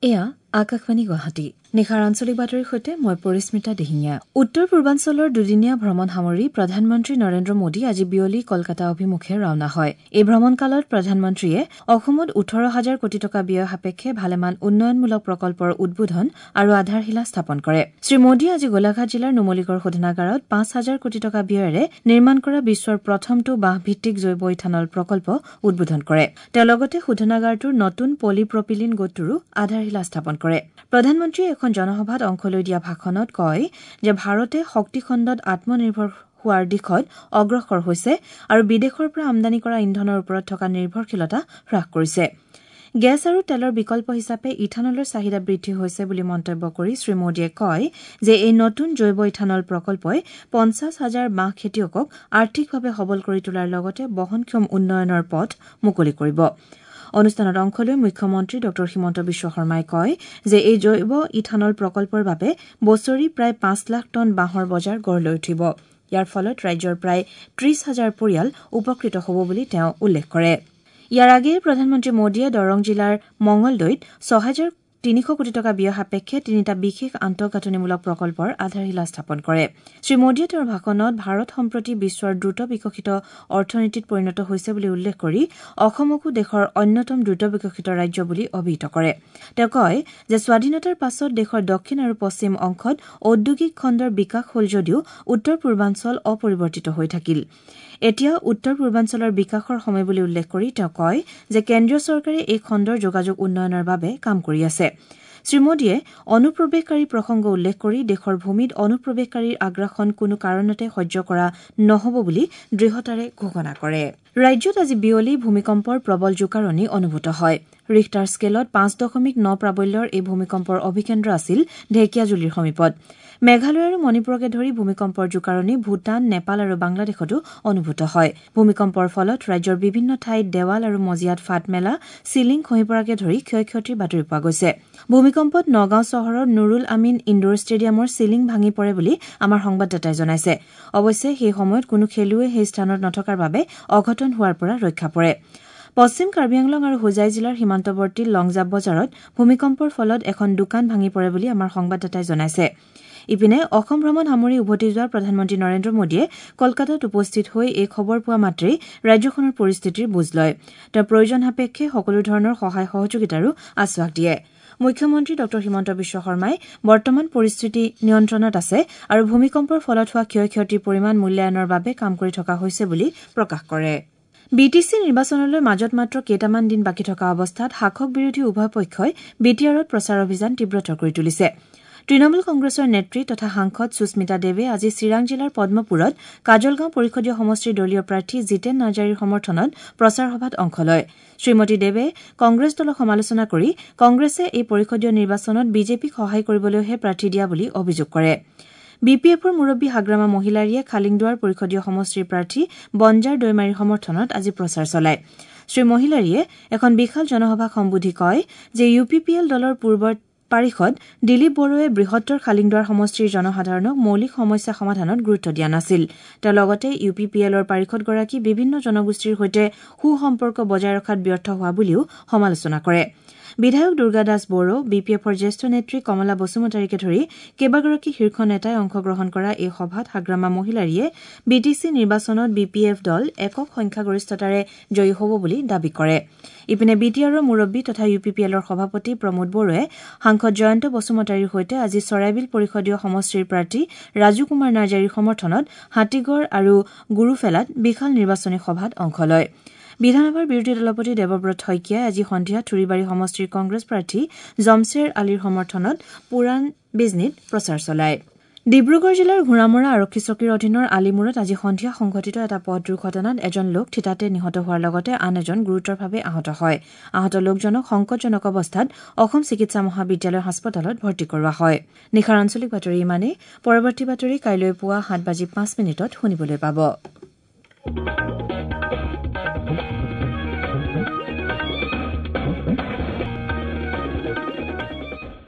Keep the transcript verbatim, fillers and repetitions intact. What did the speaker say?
এয়া আকাশবাণী গুৱাহাটী। নিশাৰ আঞ্চলিক বাতৰিৰ সৈতে মই পৰিস্মিতা দিহিঙীয়া। উত্তৰ পূৰ্বাঞ্চলৰ দুদিনীয়া ভ্ৰমণ সামৰি প্ৰধানমন্ত্ৰী নৰেন্দ্ৰ মোদী আজি বিয়লি কলকাতা অভিমুখে ৰাওনা হয়। এই ভ্ৰমণকালত প্ৰধানমন্ত্ৰীয়ে অসমত ওঠৰ হাজাৰ কোটি টকা ব্যয় সাপেক্ষে ভালেমান উন্নয়নমূলক প্ৰকল্পৰ উদ্বোধন আৰু আধাৰশিলা স্থাপন কৰে। শ্ৰীমোদীয়ে আজি গোলাঘাট জিলাৰ নুমলীগড় শোধনাগাৰত পাঁচ হাজাৰ কোটি টকা ব্যয়েৰে নিৰ্মাণ কৰা বিশ্বৰ প্ৰথমটো বাঁহভিত্তিক জৈৱ ইথানল প্ৰকল্প উদ্বোধন কৰে। তেওঁ লগতে শোধনাগাৰটোৰ নতুন পলিপ্ৰপিলিন গোটটোৰো আধাৰশিলা স্থাপন কৰে। প্ৰধানমন্ত্ৰীয়ে এখন জনসভাত অংশ লৈ দিয়া ভাষণত কয় যে ভাৰতে শক্তিখণ্ডত আত্মনিৰ্ভৰ হোৱাৰ দিশত অগ্ৰসৰ হৈছে আৰু বিদেশৰ পৰা আমদানি কৰা ইন্ধনৰ ওপৰত থকা নিৰ্ভৰশীলতা হ্ৰাস কৰিছে। গেছ আৰু তেলৰ বিকল্প হিচাপে ইথানলৰ চাহিদা বৃদ্ধি হৈছে বুলি মন্তব্য কৰি শ্ৰীমোদীয়ে কয় যে এই নতুন জৈৱ ইথানল প্ৰকল্পই পঞ্চাছ হাজাৰ বাঁহ খেতিয়কক আৰ্থিকভাৱে সবল কৰি তোলাৰ লগতে বহনক্ষম উন্নয়নৰ পথ মুকলি কৰিব। অনুষ্ঠানত অংশ লৈ মুখ্যমন্ত্ৰী ডঃ হিমন্ত বিশ্ব শৰ্মাই কয় যে এই জৈৱ ইথানল প্ৰকল্পৰ বাবে বছৰি প্ৰায় পাঁচ লাখ টন বাঁহৰ বজাৰ গঢ় লৈ উঠিব। ইয়াৰ ফলত ৰাজ্যৰ প্ৰায় ত্ৰিশ হাজাৰ পৰিয়াল উপকৃত হ'ব বুলি তেওঁ উল্লেখ কৰে। ইয়াৰ আগেয়ে প্ৰধানমন্ত্ৰী মোদীয়ে দৰং জিলাৰ মঙলদৈত ছহেজাৰ তিনিশ কোটি টকা ব্যয় সাপেক্ষে তিনিটা বিশেষ আন্তঃগাঁথনিমূলক প্ৰকল্পৰ আধাৰশিলা স্থাপন কৰে। শ্ৰীমোদীয়ে তেওঁৰ ভাষণত ভাৰত সম্প্ৰতি বিশ্বৰ দ্ৰুত বিকশিত অৰ্থনীতিত পৰিণত হৈছে বুলি উল্লেখ কৰি অসমকো দেশৰ অন্যতম দ্ৰুত বিকশিত ৰাজ্য বুলি অভিহিত কৰে। তেওঁ কয় যে স্বাধীনতাৰ পাছত দেশৰ দক্ষিণ আৰু পশ্চিম অংশত ঔদ্যোগিক খণ্ডৰ বিকাশ হ'ল যদিও উত্তৰ পূৰ্বাঞ্চল অপৰিৱৰ্তিত হৈ থাকিল। এতিয়া উত্তৰ পূৰ্বাঞ্চলৰ বিকাশৰ সময় বুলি উল্লেখ কৰি তেওঁ কয় যে কেন্দ্ৰীয় চৰকাৰে এই খণ্ডৰ যোগাযোগ উন্নয়নৰ বাবে কাম কৰি আছে। শ্ৰীমোদীয়ে অনুপ্ৰৱেশকাৰী প্ৰসংগ উল্লেখ কৰি দেশৰ ভূমিত অনুপ্ৰৱেশকাৰীৰ আগ্ৰাসন কোনো কাৰণতে সহ্য কৰা নহ'ব বুলি দৃঢ়তাৰে ঘোষণা কৰে। ৰাজ্যত আজি বিয়লি ভূমিকম্পৰ প্ৰবল জোকাৰণি অনুভূত হয়। ৰিখটাৰ স্কেলত পাঁচ দশমিক ন প্ৰাবল্যৰ এই ভূমিকম্পৰ অভিকেন্দ্ৰ আছিল ঢেকীয়াজুলিৰ সমীপত। মেঘালয় আৰু মণিপুৰকে ধৰি ভূমিকম্পৰ জোকাৰণি ভূটান, নেপাল আৰু বাংলাদেশতো অনুভূত হয়। ভূমিকম্পৰ ফলত ৰাজ্যৰ বিভিন্ন ঠাইত দেৱাল আৰু মজিয়াত ফাট মেলা, চিলিং খহি পৰাকে ধৰি ক্ষয় ক্ষতিৰ বাতৰি পোৱা গৈছে। ভূমিকম্পত নগাঁও চহৰৰ নুৰুল আমিন ইণ্ডোৰ ষ্টেডিয়ামৰ চিলিং ভাঙি পৰে বুলি আমাৰ সংবাদদাতাই জনাইছে। অৱশ্যে সেই সময়ত কোনো খেলুৱৈ সেই স্থানত নথকাৰ বাবে অঘটন হোৱাৰ পৰা ৰক্ষা পৰে। পশ্চিম কাৰ্বি আংলং আৰু হোজাই জিলাৰ সীমান্তৱৰ্তী লংজাপ বজাৰত ভূমিকম্পৰ ফলত এখন দোকান ভাঙি পৰে বুলি আমাৰ সংবাদদাতাই জনাইছে। ইপিনে অসম ভ্ৰমণ সামৰি উভতি যোৱা প্ৰধানমন্ত্ৰী নৰেন্দ্ৰ মোদীয়ে কলকাতাত উপস্থিত হৈ এই খবৰ পোৱা মাত্ৰেই ৰাজ্যখনৰ পৰিস্থিতিৰ বুজ লয়। তেওঁ প্ৰয়োজন সাপেক্ষে সকলো ধৰণৰ সহায় সহযোগিতাৰো আশ্বাস দিয়ে। মুখ্যমন্ত্ৰী ডঃ হিমন্ত বিশ্ব শৰ্মাই বৰ্তমান পৰিস্থিতি নিয়ন্ত্ৰণত আছে আৰু ভূমিকম্পৰ ফলত হোৱা ক্ষয় ক্ষতিৰ পৰিমাণ মূল্যায়নৰ বাবে কাম কৰি থকা হৈছে বুলি প্ৰকাশ কৰে। বি টি চি নিৰ্বাচনলৈ মাজত মাত্ৰ কেইটামান দিন বাকী থকা অৱস্থাত শাসক বিৰোধী উভয় পক্ষই বি টি আৰত প্ৰচাৰ অভিযান তীব্ৰতৰ কৰি তুলিছে। তৃণমূল কংগ্ৰেছৰ নেত্ৰী তথা সাংসদ সুস্মিতা দেৱে আজি চিৰাং জিলাৰ পদ্মপুৰত কাজলগাঁও পৰিষদীয় সমষ্টিৰ দলীয় প্ৰাৰ্থী জিতেন নাৰ্জাৰীৰ সমৰ্থনত প্ৰচাৰ সভাত অংশ লয়। শ্ৰীমতী দেৱে কংগ্ৰেছ দলক সমালোচনা কৰি কংগ্ৰেছে এই পৰিষদীয় নিৰ্বাচনত বিজেপিক সহায় কৰিবলৈহে প্ৰাৰ্থী দিয়া বুলি অভিযোগ কৰে। বি পি এফৰ মুৰব্বী হাগ্ৰামা মহিলাৰীয়ে খালিংদুৱাৰ পৰিষদীয় সমষ্টিৰ প্ৰাৰ্থী বঞ্জাৰ দৈমাৰীৰ সমৰ্থনত আজি প্ৰচাৰ চলায়। শ্ৰীমহিলাৰীয়ে এখন বিশাল জনসভাক সম্বোধি কয় যে ইউ পি পি এল দলৰ পূৰ্বৰ পাৰিষদ দিলীপ বড়োৱে বৃহত্তৰ খালিংদুৱাৰ সমষ্টিৰ জনসাধাৰণক মৌলিক সমস্যা সমাধানত গুৰুত্ব দিয়া নাছিল। তেওঁ লগতে ইউ পি পি এলৰ পাৰিষদগৰাকী বিভিন্ন জনগোষ্ঠীৰ সৈতে সুসম্পৰ্ক বজাই ৰখাত ব্যৰ্থ হোৱা বুলিও সমালোচনা কৰে। বিধায়ক দুৰ্গা দাস বড়ো, বি পি এফৰ জ্যেষ্ঠ নেত্ৰী কমলা বসুমতাৰীকে ধৰি কেইবাগৰাকী শীৰ্ষ নেতাই অংশগ্ৰহণ কৰা এই সভাত হাগ্ৰামা মহিলাৰীয়ে বি টি চি নিৰ্বাচনত বি পি এফ দল একক সংখ্যাগৰিষ্ঠতাৰে জয়ী হ'ব বুলি দাবী কৰে। ইপিনে বি টি আৰৰ মুৰব্বী তথা ইউ পি পি এলৰ সভাপতি প্ৰমোদ বড়োৱে সাংসদ জয়ন্ত বসুমতাৰীৰ সৈতে আজি চৰাইবিল পৰিষদীয় সমষ্টিৰ প্ৰাৰ্থী ৰাজু কুমাৰ নাৰ্জাৰীৰ সমৰ্থনত হাতীগড় আৰু গুৰুফেলাত বিশাল নিৰ্বাচনী সভাত অংশ লয়। বিধানসভাৰ বিৰোধী দলপতি দেৱব্ৰত শইকীয়াই আজি সন্ধিয়া থুৰিবাৰী সমষ্টিৰ কংগ্ৰেছ প্ৰাৰ্থী জমছেৰ আলীৰ সমৰ্থনত পুৰাণ বিজনীত প্ৰচাৰ চলায়। ডিব্ৰুগড় জিলাৰ ঘোঁৰামৰা আৰক্ষী চকীৰ অধীনৰ আলিমূৰত আজি সন্ধিয়া সংঘটিত এটা পথ দুৰ্ঘটনাত এজন লোক থিতাতে নিহত হোৱাৰ লগতে আন এজন গুৰুতৰভাৱে আহত হয়। আহত লোকজনক সংকটজনক অৱস্থাত অসম চিকিৎসা মহাবিদ্যালয় হাস্পতালত ভৰ্তি কৰোৱা হয়। নিশাৰ আঞ্চলিক বাতৰি ইমানেই। পৰৱৰ্তী বাতৰি কাইলৈ পুৱা সাত বাজি পাঁচ মিনিটত শুনিবলৈ পাব।